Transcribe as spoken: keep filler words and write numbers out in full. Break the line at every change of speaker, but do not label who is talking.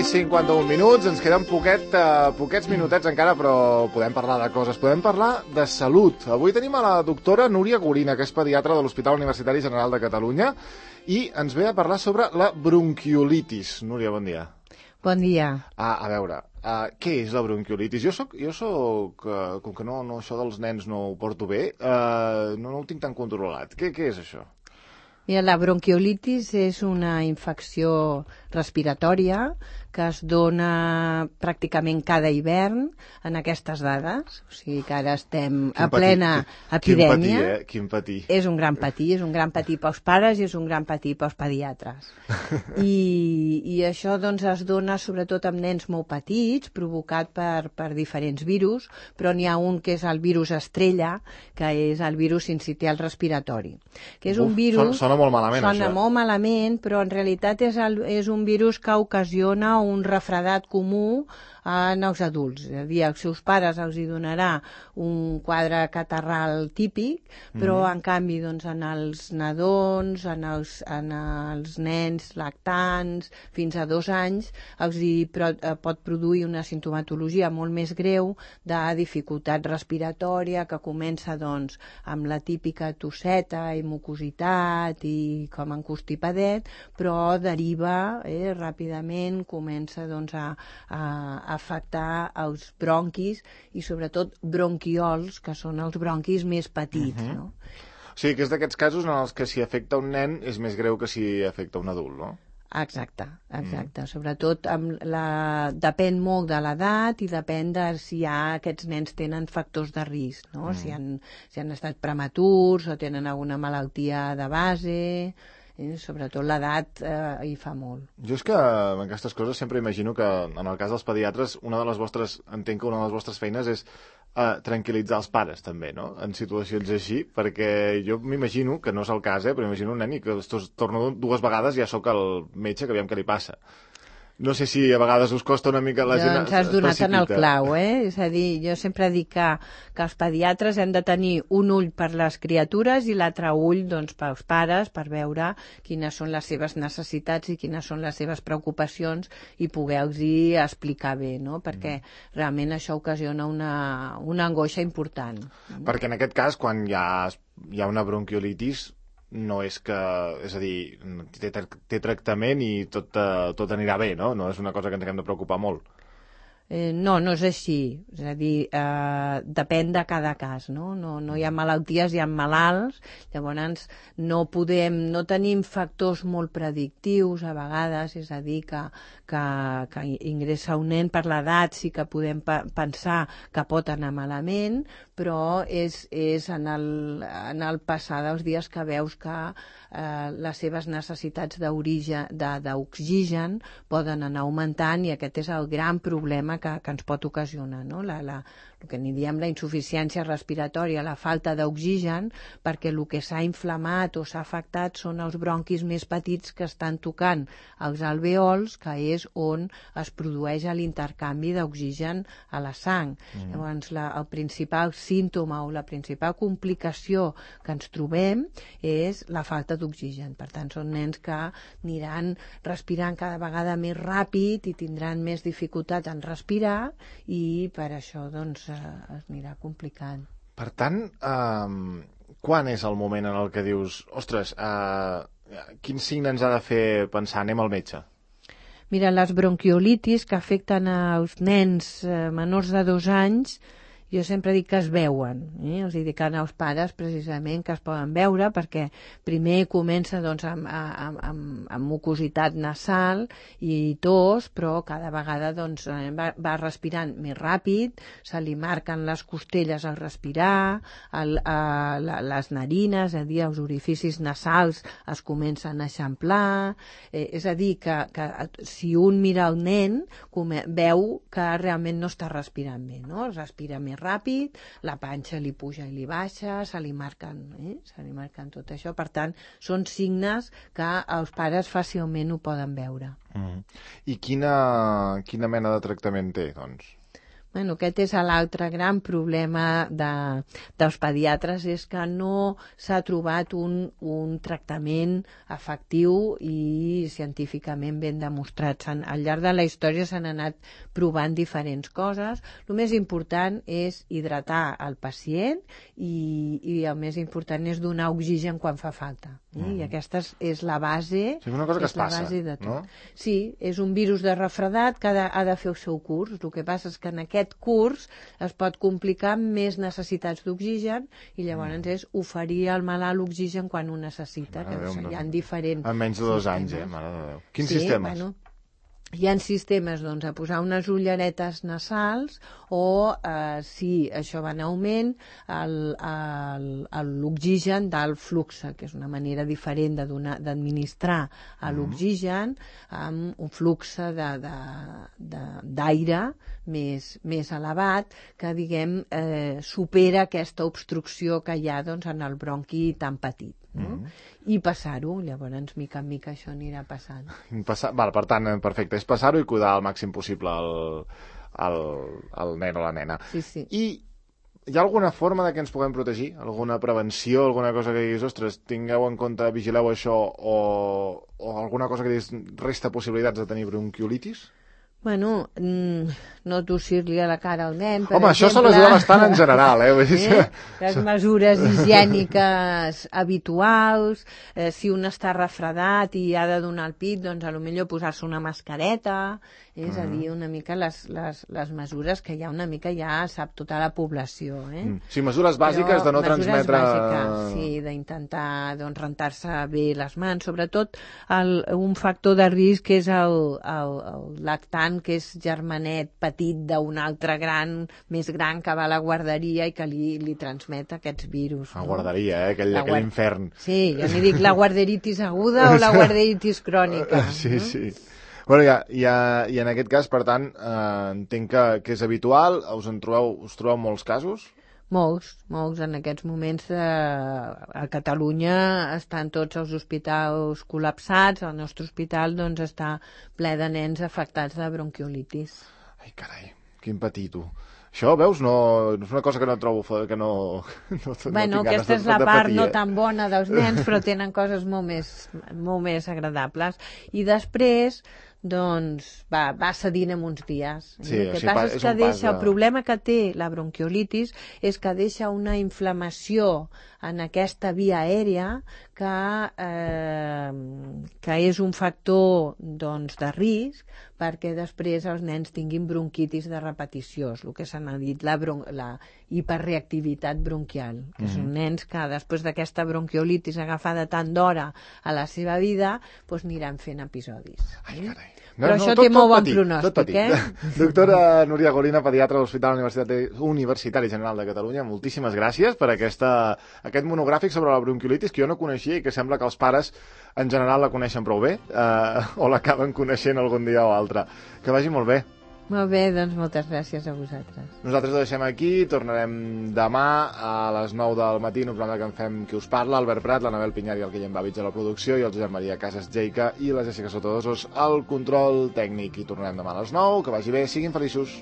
cinquanta-un minuts, ens queden poquet, uh, poquets minutets encara, però podem parlar de coses, podem parlar de salut. Avui tenim a la doctora Núria Gorina, que és pediatra de l'Hospital Universitari General de Catalunya, i ens ve a parlar sobre la bronquiolitis. Núria, bon dia.
Bon dia.
Ah, a veure, uh, què és la bronquiolitis? Jo soc, jo soc uh, com que no, no, això dels nens no ho porto bé, uh, no, no ho tinc tan controlat. Què, què és això?
Mira, la bronquiolitis és una infecció respiratòria que es dona pràcticament cada hivern en aquestes dades. O sigui que ara estem a plena epidèmia.
Quin patir, eh? Quin patir.
És un gran patir, és un gran patir pels pares i és un gran patir pels pediatres. I, i això doncs es dona sobretot amb nens molt petits, provocat per, per diferents virus, però n'hi ha un que és el virus estrella, que és el virus sincitial respiratori. Que és
Uf,
un virus...
Sona, sona molt malament,
sona
això.
molt malament, però en realitat és, el, és un virus que ocasiona un refredat comú en els adults. És a dir, als seus pares els hi donarà un quadre catarral típic, però mm. en canvi doncs, en els nadons, en els, en els nens lactants, fins a dos anys, els hi pro, eh, pot produir una simptomatologia molt més greu de dificultat respiratòria, que comença doncs, amb la típica tosseta i mucositat i com en constipadet, però deriva eh, ràpidament, comença doncs, a, a, a afectar els bronquis i sobretot bronquiols, que són els bronquis més petits, uh-huh. no?
O sigui, que és d'aquests casos en els que si afecta un nen és més greu que si afecta un adult, no?
Exacte, exacte. Mm. Sobretot amb la... depèn molt de l'edat i depèn de si hi ha, aquests nens tenen factors de risc, no? Mm. Si, han, si han estat prematurs o tenen alguna malaltia de base... Eh, sobretot l'edat eh, hi fa molt.
Jo és que en aquestes coses sempre imagino que en el cas dels pediatres una de les vostres, entenc que una de les vostres feines és eh, tranquil·litzar els pares també, no? En situacions així, perquè jo m'imagino, que no és el cas, eh, però imagino un nen i que es torna dues vegades ja sóc el metge que aviam què li passa. No sé si a vegades us costa una mica la gent...
Doncs has donat en el clau, eh? És a dir, jo sempre dic que, que els pediatres hem de tenir un ull per les criatures i l'altre ull doncs, pels pares, per veure quines són les seves necessitats i quines són les seves preocupacions i poder-los explicar bé, no? Perquè mm. realment això ocasiona una, una angoixa important.
Perquè en aquest cas, quan hi ha, hi ha una bronquiolitis, no és que, és a dir, té, té tractament i tot, tot anirà bé, no? No és una cosa que ens haguem de preocupar molt.
Eh, no, no és així. És a dir, eh, depèn de cada cas, no? No, no hi ha malalties, hi ha malalts, llavors no podem, no tenim factors molt predictius a vegades, és a dir, que, que, que ingressa un nen per l'edat, sí que podem pe pensar que pot anar malament, però és, és en, el, en el passar dels dies que veus que eh, les seves necessitats d'oxigen poden anar augmentant i aquest és el gran problema que, que ens pot ocasionar, no? La, la, el que n'hi diem la insuficiència respiratòria, la falta d'oxigen, perquè el que s'ha inflamat o s'ha afectat són els bronquis més petits que estan tocant els alveols, que és on es produeix l'intercanvi d'oxigen a la sang. Mm. Llavors, la, el principal símptoma o la principal complicació que ens trobem és la falta d'oxigen. Per tant, són nens que aniran respirant cada vegada més ràpid i tindran més dificultat en respirar i per això, doncs, es anirà complicant.
Per tant, eh, quan és el moment en el que dius ostres, eh, quin signe ens ha de fer pensar anem al metge?
Mira, les bronquiolitis que afecten als nens eh, menors de dos anys, jo sempre dic que es veuen, eh? Els dic als pares precisament que es poden veure perquè primer comença doncs, amb, amb, amb, amb mucositat nasal i tos, però cada vegada doncs, va, va respirant més ràpid, se li marquen les costelles al respirar, el, a, la, les narines, és a dir, els orificis nasals es comencen a eixamplar, eh, és a dir, que, que si un mira el nen come, veu que realment no està respirant bé, no? Respira més ràpid, la panxa li puja i li baixa, se li marquen, eh? se li marquen tot això. Per tant, són signes que els pares fàcilment ho poden veure.
Mm. I quina, quina mena de tractament té, doncs?
Bueno, aquest és l'altre gran problema de, dels pediatres, és que no s'ha trobat un, un tractament efectiu i científicament ben demostrat. Al llarg de la història s'han anat provant diferents coses. El més important és hidratar el pacient i, i el més important és donar oxigen quan fa falta. Eh? Mm. I aquesta és, és la base,
sí, una cosa que
és
es passa,
la base de tot.
No?
Sí, és un virus de refredat que ha de, ha de fer el seu curs. El que passa és que en aquest curs es pot complicar amb més necessitats d'oxigen i llavors mm. és oferir al malalt l'oxigen quan ho necessita, que Déu, hi ha diferents
en menys de dos
sistemes.
anys, eh? Mare de Déu. Quins
sí,
sistemes?
Bueno, hi ha sistemes doncs, a posar unes ulleretes nasals o, eh, si això va en augment, l'oxigen d'alt flux, que és una manera diferent d'administrar l'oxigen amb un flux d'aire més, més elevat que, diguem, eh, supera aquesta obstrucció que hi ha doncs, en el bronqui tan petit. No? Mm. I passar-ho, llavors mica en mica això anirà passant.
Passar, val, per tant, perfecte, és passar-ho i cuidar al màxim possible el, el, el nen o la nena.
Sí, sí.
I hi ha alguna forma de que ens puguem protegir? Alguna prevenció, alguna cosa que diguis, ostres, tingueu en compte, vigileu això, o, o alguna cosa que diguis, resta possibilitats de tenir bronquiolitis?
Bueno, no tossir-li a la cara al nen, per
Home,
exemple.
això se l'ajuda bastant en general, eh? eh?
Les mesures higièniques habituals, eh, si un està refredat i ha de donar el pit, doncs a lo millor posar-se una mascareta, és mm. a dir, una mica les, les, les mesures que ja una mica ja sap tota la població. Eh? Mm.
Sí, mesures bàsiques Però, de no
mesures
transmetre...
Bàsiques, sí, d'intentar doncs, rentar-se bé les mans, sobretot el, un factor de risc és el, el, el lactant, que és germanet petit d'un altre gran, més gran, que va a la guarderia i que li, li transmet aquests virus.
La
no?
guarderia, eh? Aquell, aquell
guard...
infern.
Sí, jo n'hi dic la guarderitis aguda o la guarderitis crònica.
Sí,
no?
sí. Bueno, ja, ja, i en aquest cas, per tant, eh, entenc que, que és habitual, us en trobeu, us trobeu molts casos?
Molts, molts. En aquests moments eh, a Catalunya estan tots els hospitals col·lapsats, el nostre hospital doncs, està ple de nens afectats de bronquiolitis.
Ai, carai, quin patir, tu. Això, veus, no, no és una cosa que no trobo, que no, no,
bueno,
no
aquesta és
de,
la
de
part
patir,
no
eh?
tan bona dels nens, però tenen coses molt més, molt més agradables. I després, doncs, va, va cedint en uns dies.
Sí,
el que
o sigui,
passa és,
és
que
un
deixa,
pas de...
el problema que té la bronquiolitis és que deixa una inflamació en aquesta via aèria que, eh, que és un factor doncs, de risc perquè després els nens tinguin bronquitis de repetició, és el que se n'ha dit la, bron la hiperreactivitat bronquial, que mm-hmm. són nens que després d'aquesta bronquiolitis agafada tant d'hora a la seva vida doncs aniran fent episodis.
Ai, carai.
No, Però no, això tot, té molt bon
petit,
pronòstic, eh?
Doctora Núria Gorina, pediatra de l'Hospital Universitari, Universitari General de Catalunya, moltíssimes gràcies per aquesta, aquest monogràfic sobre la bronquiolitis que jo no coneixia i que sembla que els pares en general la coneixen prou bé, eh, o l'acaben coneixent algun dia o altre. Que vagi molt bé.
Molt bé, doncs moltes gràcies a vosaltres.
Nosaltres ho deixem aquí, tornarem demà a les nou del matí en un programa que en fem Qui us parla, Albert Prat, l'Anabel Pinyar i el Guillem Bàvits a la producció i el Josep Maria Casas Jeica i la Jessica Sotodosos al control tècnic. I tornarem demà a les nou, que vagi bé, siguin feliços.